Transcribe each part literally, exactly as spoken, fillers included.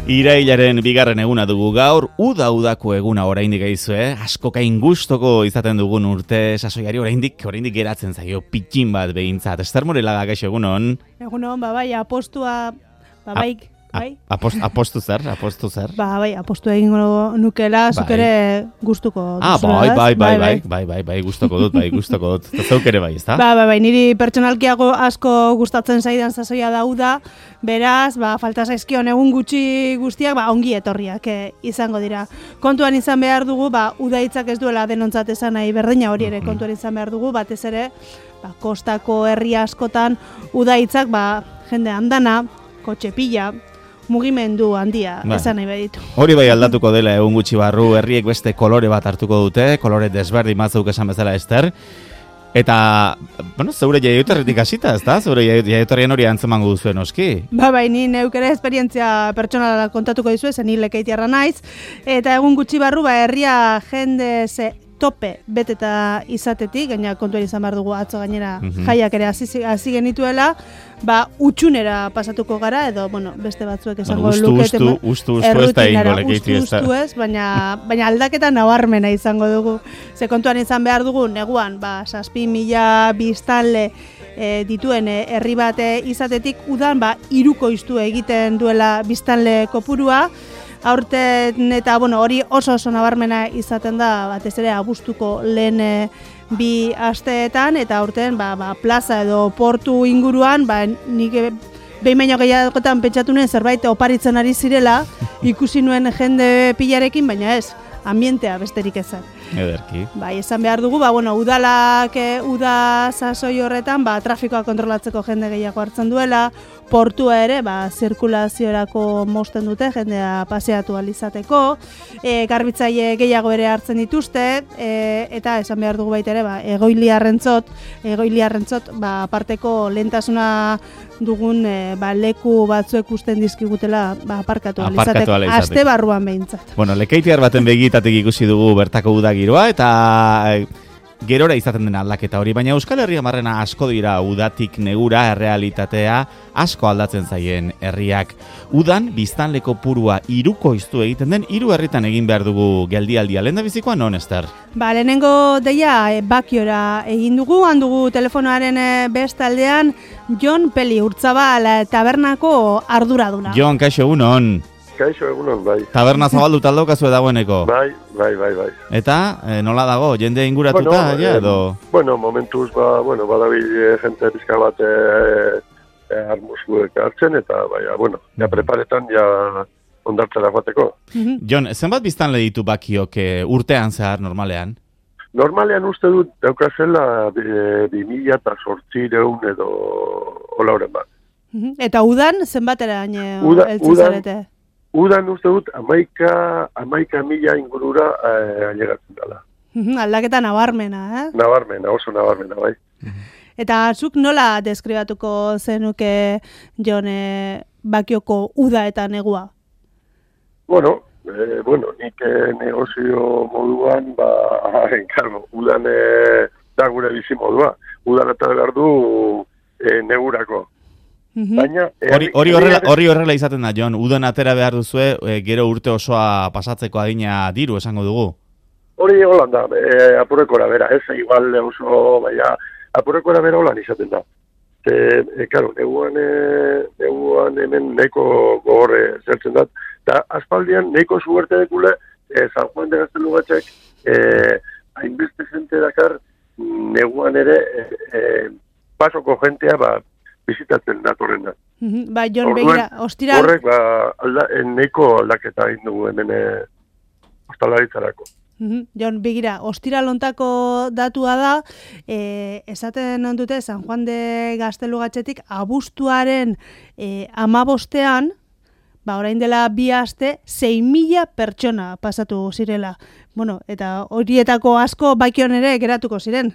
Irailaren bigarren eguna dugu gaur, uda udako eguna oraindik gaizue, askokain gustoko izaten dugun urte sasoiari oraindik oraindik geratzen zaio pitxin bat behintzat. Ester Morelaga, gaixo egunon. Egunon, ba bai, apostua, ba bai, bai. Apost, apostu zer, apostu zer. Ba bai, apostu egingo nukela, zuk ere gustuko dut. Ah, bai, bai, bai, bai, bai, bai, bai, gustuko dut, bai, gustuko dut. Zeuk ere bai, ezta? Ba, bai, bai, niri pertsonalkiago asko gustatzen zaidan sasoia da uda, beraz, ba, falta zaizkion egun gutxi guztiak, ba, ongi etorriak eh, izango dira. Kontuan izan behar dugu, ba, uda hitzak ez duela denontzat esan nahi berdina hori ere kontuan izan behar dugu, batez ere, ba, kostako herri askotan uda hitzak, ba, jende andana, kotxe pila, mugimendu handia ba, esan nahi baditu. Hori bai aldatuko dela egun gutxi barru, herriek beste kolore bat hartuko dute, kolore desberdin batzuk esan bezala Ester. Eta, bueno, zeure jaioterritik hasita, ezta? Zeure jaioterrien hori antzemango duzuen noski. Ba, bai, ni neuk ere esperientzia pertsonala kontatuko dizue, zen ni Lekeitiarra naiz, eta egun gutxi barru, ba, herria jende ze tope beteta izatetik, gaina kontuan izan behar dugu atzo gainera mm-hmm. jaiak ere hasi genituela, ba, utxunera pasatuko gara, edo, bueno, beste batzuek esango bueno, lukete. Ustu, ustu, ustu, ez da ingo Lekeiti ez da. Ustu, ez, baina, baina aldaketa nabarmena izango dugu. Ze kontuan izan behar dugu, neguan, ba, zazpi mila biztanle e, dituen herri bate izatetik, udan, ba, hirukoiztu egiten duela biztanle kopurua, aurten eta bueno, hori oso oso nabarmena izaten da batez ere abuztuko lehen e, bi asteetan eta aurten ba, ba, plaza edo portu inguruan ba, nik behin baino gehiagotan pentsatu nuen zerbait oparitzen ari zirela ikusi nuen jende pilarekin, baina ez, ambientea besterik ezan. Ederki. Bai, esan behar dugu, ba, bueno, udalak, e, uda sasoi horretan, ba, trafikoa kontrolatzeko jende gehiago hartzen duela, portua ere, ba, zirkulaziorako mosten dute, jendea paseatu alizateko, e, garbitzaile gehiago ere hartzen dituzte, e, eta esan behar dugu baita ere, ba, egoiliarrentzot, egoiliarrentzot, ba, aparteko lehentasuna dugun e, ba, leku batzuek usten dizkigutela ba, aparkatu alizateko, aste barruan behintzat. Bueno, Lekeitiar baten begitatik ikusi dugu bertako uda giroa, eta gerora izaten den aldaketa hori, baina Euskal Herria marrena asko dira udatik negura errealitatea asko aldatzen zaien herriak. Udan biztanleko purua hirukoiztu egiten den, hiru herritan egin behar dugu geldialdia. Lehen da bizikoa non, Ester? Ba, lehenengo deia e, Bakiora egin dugu, handugu telefonoaren e, bestaldean Jon Peli Urtzabal tabernako arduraduna. Jon, kaixo egunon. Kaixo egunon, bai. Taberna zabaldu taldaukazue dagoeneko. Bai, bai, bai, bai. Eta, e, nola dago, jende inguratuta, bueno, ja, edo? Eh, bueno, momentuz, ba, bueno, badabil jente pizka bat eh, eh, armuzuek hartzen, eta, bai, bueno, ja preparetan, ja ondartzera joateko. Mm-hmm. Jon, zenbat biztanle ditu Bakiok e, urtean zehar normalean? Normalean uste dut, daukazela, bi mila eta sortzireun edo olauren bat. Mm-hmm. Eta udan, zenbatera Uda, eltzizarete? Udan uste dut, amaika, amaika mila ingurura eh, ailegatzen dela. Aldaketa nabarmena, eh? Nabarmena, oso nabarmena, bai. Eta zuk nola deskribatuko zenuke Jon e, Bakioko uda eta negua? Bueno, eh, bueno, nik eh, negozio moduan, ba, enkargo, udan eh, da gure bizi modua. Udan eta behar du eh, negurako. Baina, hori hori horrela hori horrela izaten da, Jon. Udan atera behar duzue, e, gero urte osoa pasatzeko adina diru esango dugu. Hori holan da, e, apurekora bera, ez igual oso, baina apurekora bera holan izaten da. E, e, karo, neguan, e, neguan hemen nahiko gogorre zertzen dat, eta aspaldian nahiko zuerte dekule, e, San Juan de Gaztelugatxek, e, hainbeste jente dakar, neguan ere, e, e, pasoko jentea, ba, bizitatzen datorren da. Mm-hmm. Ba, Jon, begira, ostira... Horrek, ba, alda, neko aldaketa egin dugu hemen e, ostalaritzarako. Mm-hmm. Jon, begira, ostira lontako datua da, e, esaten ondute, San Juan de Gaztelugatxetik, abuztuaren e, amabostean, ba, orain dela bi aste, sei mila pertsona pasatu zirela. Bueno, eta horietako asko Bakion ere geratuko ziren.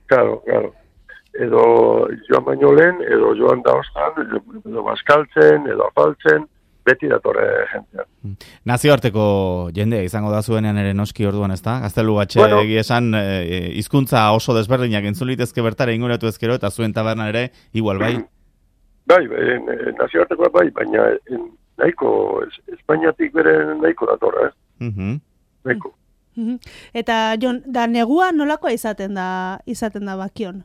Claro, claro. Edo joan baino lehen, edo joan da ostan, edo bazkaltzen, edo afaltzen, beti datorre jentea. Nazioarteko jendea izango da zuenean ere noski orduan, ezta? Gaztelugatxe bueno, esan e, hizkuntza oso desberdinak entzun litezke bertara inguratu ezkero, eta zuen tabernan ere igual bai? Bai, bai, nazioartekoa bai, baina en, nahiko, es, Espainiatik bere nahiko datorra, eh? Mhm. Nahiko. Mhm. Eta, Jon, da negua nolakoa izaten da, izaten da Bakion?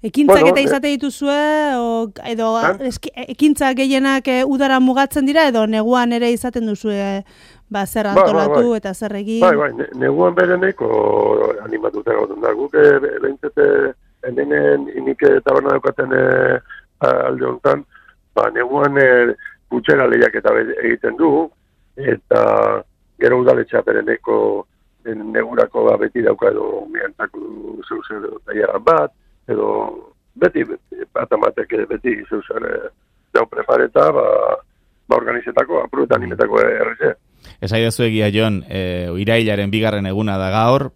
Ekintzak Bueno, eta eh, izate dituzue, o, edo Ah? eski, ekintzak gehienak eh, udara mugatzen dira, edo neguan ere izaten duzue ba, zer Bai, bai, antolatu bai. eta zer egin. Bai, bai, ne, neguan bere nahiko animatuta gauden da. Guk eh, behintzete hemen inik taberna daukaten eh, alde honetan, ba, neguan eh, gutxera lehiak eta egiten du, eta gero udaletxea bere neko negurako ba, beti dauka edo miantzako zeuzen edo taileran bat, edo beti, beti bat amatek beti zeuzen eh, dau prepareta, ba, ba organizetako, apruetan nimetako erreze. Esaidazu egia, Jon, e, irailaren bigarren eguna da gaur,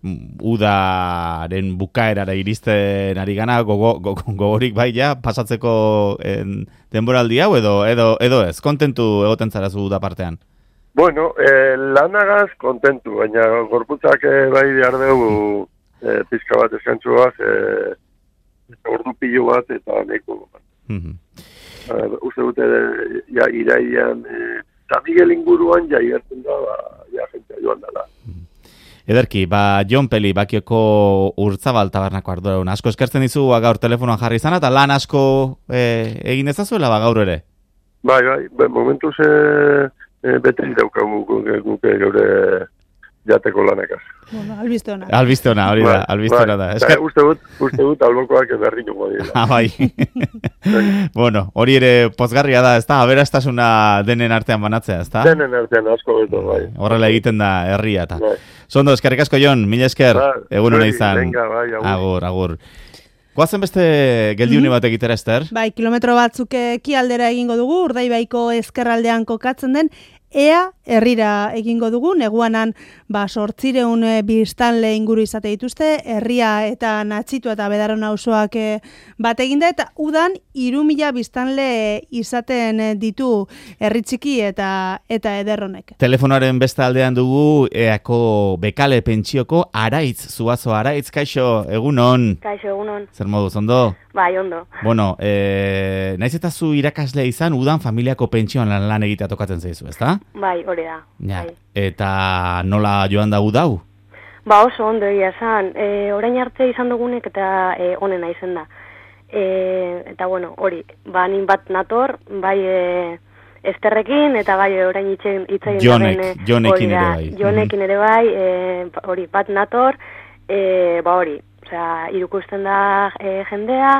udaren bukaerara iristen ari gana, gogo, gogo, gogorik bai ja, pasatzeko en, denboraldi hau, edo, edo, edo ez, kontentu egoten zarazu uda partean? Bueno, eh, lanagaz kontentu, baina gorputzak eh, bai behar dugu eh, pizka bat eskantzuaz, eh, ordu pilo bat eta neko. Mm-hmm. Uh, uste dute, ja, iraian, eh, San Miguel inguruan ja igertzen da, ba, ja, jentea joan dela. Ederki, ba, Jon Peli, Bakioko Urtzabal tabernako arduradun. Asko eskertzen dizu gaur telefonoan jarri izana, eta lan asko eh, egin ezazuela ba gaur ere? Bai, bai, momentuz eh, eh, bete daukagu guke geure jateko lanekaz. Bueno, albiste ona. Albiste ona, hori da, albiste ona da. Esker... Uste dut, uste dut albokoak berri nungo dira. Ah, bai. Bueno, hori ere pozgarria da, ezta? Aberastasuna denen artean banatzea, ezta? Denen artean asko beto, bai. Horrela egiten da herria eta. Bai. Zondo, eskerrik asko, Jon, mila esker, Ba, egun hona izan. Venga, bai, agur. Agur, agur. Goazen beste geldiune bat egitera, Ester? Bai, kilometro batzuk ekialdera egingo dugu, Urdaibaiko ezkerraldean kokatzen den, ea herrira egingo dugu, neguanan ba sortzireun e, biztanle inguru izate dituzte, herria eta Natxitua eta Bedaron auzoak e, bat eginda, eta udan hiru mila biztanle izaten ditu herri txiki eta eta ederronek. Telefonaren beste aldean dugu eako bekale pentsioko Araitz, Zuazo Araitz, kaixo, egunon. Kaixo, egunon. Zer moduz, ondo? Bai, ondo. Bueno, e, naiz eta zu irakasle izan, udan familiako pentsioan lan, lan egitea tokatzen zaizu, ezta? Bai, hori da. Ja. Bai. Eta nola joan da udau? Ba, oso ondo egia esan. E, orain arte izan dugunek eta e, onena izen da. E, eta bueno, hori, ba, nin bat nator, bai e, Esterrekin, eta bai orain itxegin itxegin Jonek, daren, Jonekin ere bai. Jonekin ere bai, e, hori, bat nator, e, ba hori, osea, irukusten da e, jendea,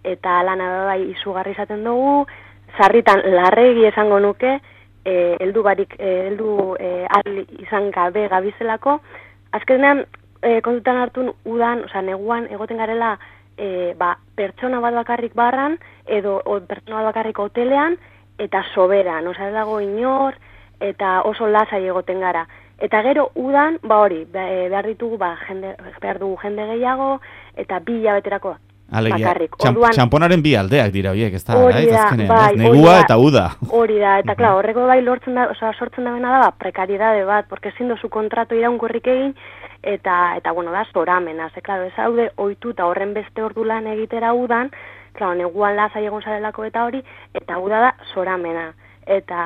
eta lana bai izugarri izaten dugu, sarritan larregi esango nuke, eh heldu barik eh, heldu eh, al izan gabe gabizelako, azkenean eh, kontutan hartun udan, osea neguan egoten garela eh, ba, pertsona bat bakarrik barran edo o, pertsona bat bakarrik hotelean eta soberan, osea ez dago inor eta oso lasai egoten gara. Eta gero udan, ba hori, behar ditugu ba jende behar dugu jende gehiago eta bi hilabeterako Alegia, bakarrik. txamp, Orduan, txamponaren bi aldeak dira horiek, ez da, hori da, azkenean, bai, ez? Negua hori da. eta uda. Hori da, eta klar, horreko bai lortzen da, osea, sortzen da bena da, ba, prekaridade bat, porque ezin dozu kontratu iraunkorrik egin, eta, eta bueno, da, zoramena, ze, klaro, ez haude, ohitu eta horren beste ordu lan egitera udan, klaro, neguan lasai egon zarelako eta hori, eta uda da, zoramena. Eta,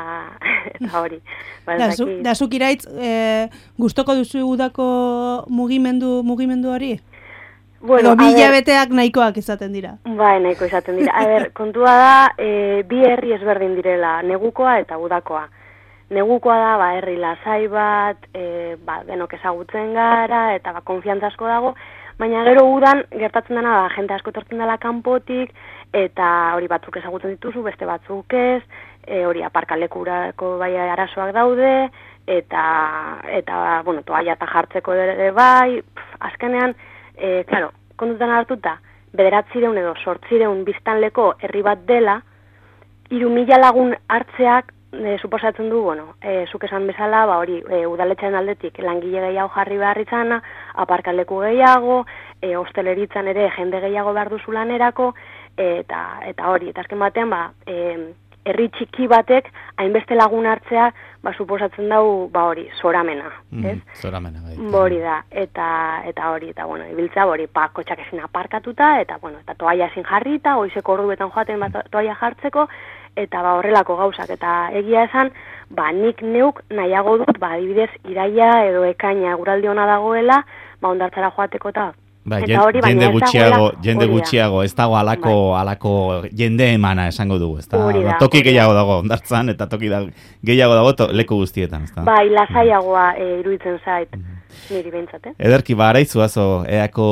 eta hori. Ba, da, zu, da zuk iraitz, e, gustoko duzu udako mugimendu, mugimendu hori? Bueno, edo bi hilabeteak nahikoak izaten dira. Bai, nahiko izaten dira. A ber, kontua da, e, bi herri ezberdin direla, negukoa eta udakoa. Negukoa da, ba, herri lasai bat, e, ba, denok ezagutzen gara, eta ba, konfiantza asko dago, baina gero udan gertatzen dena, ba, jente asko etortzen dela kanpotik, eta hori batzuk ezagutzen dituzu, beste batzuk ez, e, hori aparkalekurako bai arazoak daude, eta, eta bueno, toalla eta jartzeko ere bai, pf, azkenean, E, claro, kontutan hartuta, bederatzireun edo sortzireun biztanleko herri bat dela, hiru mila lagun hartzeak e, suposatzen du, bueno, e, zuk esan bezala, ba hori, e, udaletxaren aldetik langile gehiago jarri behar izana, aparkaleku gehiago, e, hosteleritzan ere jende gehiago behar duzu lanerako, e, eta, eta hori, eta azken batean, ba, e, herri txiki batek hainbeste lagun hartzea, ba suposatzen dau, ba hori, zoramena, mm, ez? Zoramena, bai. Hori da, eta eta hori, eta bueno, ibiltza hori, pa kotxak ezin aparkatuta, eta bueno, eta toalla ezin jarrita, goizeko orduetan joaten bat toalla jartzeko, eta ba horrelako gauzak, eta egia esan, ba nik neuk nahiago dut, ba adibidez, iraia edo ekaina eguraldi ona dagoela, ba hondartzara joateko eta Ba, eta hori, jende baina ez gutxiago, dagoela, jende hori da. gutxiago, ez dago alako, Bai. alako jende emana esango dugu, ez da? Hori da, Toki hori da. gehiago dago hondartzan eta toki da, gehiago dago to, leku guztietan, ez da? Bai, lasaiagoa e, iruditzen zait, niri behintzat, eh? Ederki, ba, araitzuazo, eako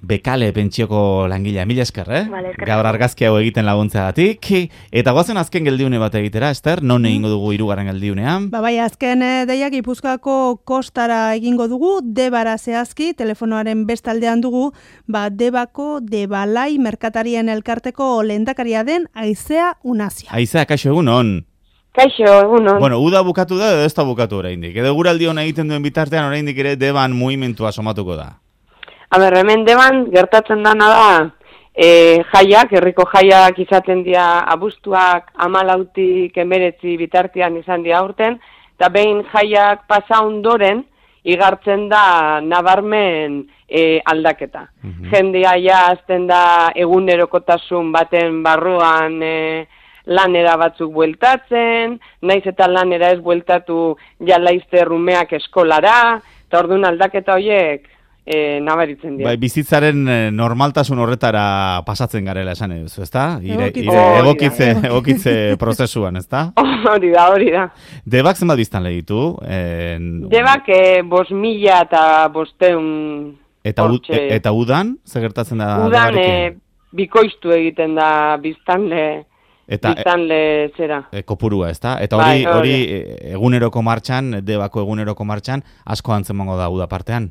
bekale pentsioko langilea, mila esker, eh? Vale, eskerrik Gaur asko. argazki hau egiten laguntzeagatik. Eta goazen azken geldiune bat egitera, Ester, non egingo dugu hirugarren geldiunean? Ba bai, azken eh, deiak Gipuzkoako kostara egingo dugu, Debara zehazki, telefonoaren bestaldean dugu, ba Debako Debalai merkatarien elkarteko lehendakaria den Aizea Unazia. Aizea, kaixo egun on. Kaixo, egunon. Bueno, uda bukatu da edo ez da bukatu oraindik. Edo guraldi hona egiten duen bitartean oraindik ere Deban mugimentua somatuko da. Aber, hemen deban gertatzen dana da, e, jaiak, herriko jaiak izaten dira abuztuak amalautik emeretzi bitartean izan dira aurten, eta behin jaiak pasa ondoren, igartzen da nabarmen e, aldaketa. Mhm. Jendea ja azten da egunerokotasun baten barruan e, lanera batzuk bueltatzen, naiz eta lanera ez bueltatu ja laizte rumeak eskolara, eta orduan aldaketa horiek e, nabaritzen dira. Bai, bizitzaren eh, normaltasun horretara pasatzen garela esan duzu, ezta? Ire, Egokitze. ire, Hori da. egokitze, egokitze prozesuan, ezta? Hori da, hori da. Debak zenbat biztan ditu? En... Debak e, bos mila eta bosteun Eta, u, hortxe. e- eta udan, zer gertatzen da Udan e, Debarekin? bikoiztu egiten da biztanle, Eta e, biztanle zera. e, kopurua, ezta? Eta Bai, hori hori. hori e, eguneroko martxan, Debako eguneroko martxan, asko antzemango da uda partean.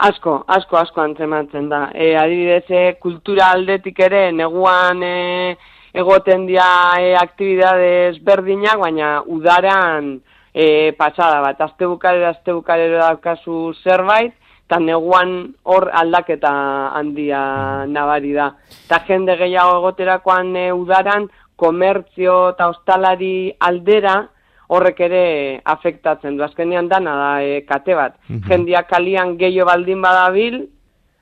Asko, asko, asko antzematzen da. E, adibidez, e, kultura aldetik ere, neguan e, egoten dira e, aktibidades berdinak, baina udaran e, pasada bat. Azte bukarera, azte bukarera daukazu zerbait, eta neguan hor aldaketa handia nabari da. Eta jende gehiago egoterakoan e, udaran, komertzio eta ostalari aldera, horrek ere afektatzen du. Azkenean dana da e, kate bat. Mhm. Jendia kalian gehiago baldin badabil,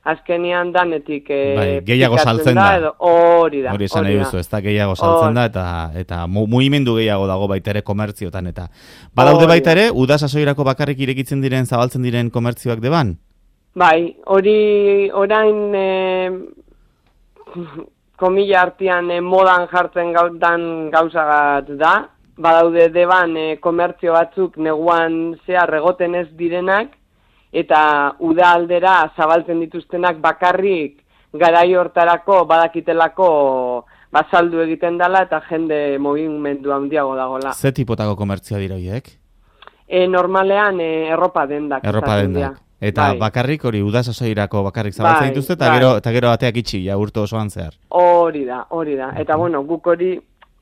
azkenean danetik e, Bai, gehiago pikatzen saltzen da. edo hori da. Hori esan nahi hori da. duzu, ez da gehiago saltzen Hor. da, eta eta mu- mugimendu gehiago dago baita ere komertziotan, eta badaude Hori baita da. ere, uda sasoirako bakarrik irekitzen diren, zabaltzen diren komertzioak deban? Bai, hori orain e, komila artean e, modan jartzen gautan gauza bat da. Badaude deban e, komertzio batzuk neguan zehar egoten ez direnak, eta uda aldera zabaltzen dituztenak bakarrik garai hortarako badakitelako bazaldu egiten dela eta jende mugimendu handiago dagola. Ze tipotako komertzioa dira horiek? E, normalean e, erropa dendak. Erropa izaten dendak. dira. Eta Bai. bakarrik hori uda sasoirako bakarrik zabaltzen Bai, dituzte, eta bai. gero, eta gero ateak itxi, ja urte osoan zehar. Hori da, hori da. Eta bueno, guk hori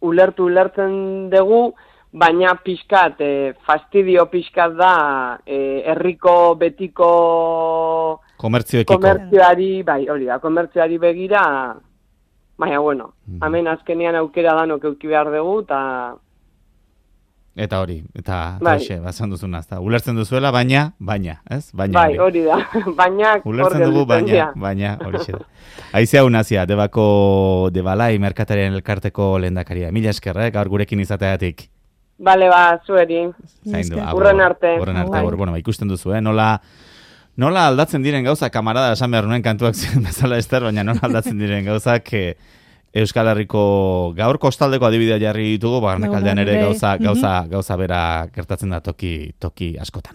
ulertu ulertzen dugu, baina pixkat, e, fastidio pixkat da, e, herriko betiko Komertzioekiko. komertzioari, bai, hori da, komertzioari begira, baina bueno, Mhm. hemen azkenean aukera danok euki behar dugu, eta Eta hori, eta Bai. hoxe, bazan duzuna, ezta. Ulertzen duzuela, baina, baina, ez? Baina bai, hori da, baina hor Ulertzen dugu, gelditzen baina, dira. baina, hori da. Aizea Unazia, Debako Debalai merkatarien elkarteko lehendakaria. Mila esker, eh, gaur gurekin izateatik. Bale, ba, zueri. Zaindu, Esker. agur. Hurren arte. Hurren arte, Bai. agur. Bueno, ba, ikusten duzu, eh? Nola, nola aldatzen diren gauza, kamarada, esan behar nuen kantuak ziren bezala Ester, baina nola aldatzen diren gauzak, eh, Euskal Herriko gaur kostaldeko adibidea jarri ditugu, barnekaldean ere Bai, gauza, mhm. gauza, gauza bera gertatzen da toki, toki askotan.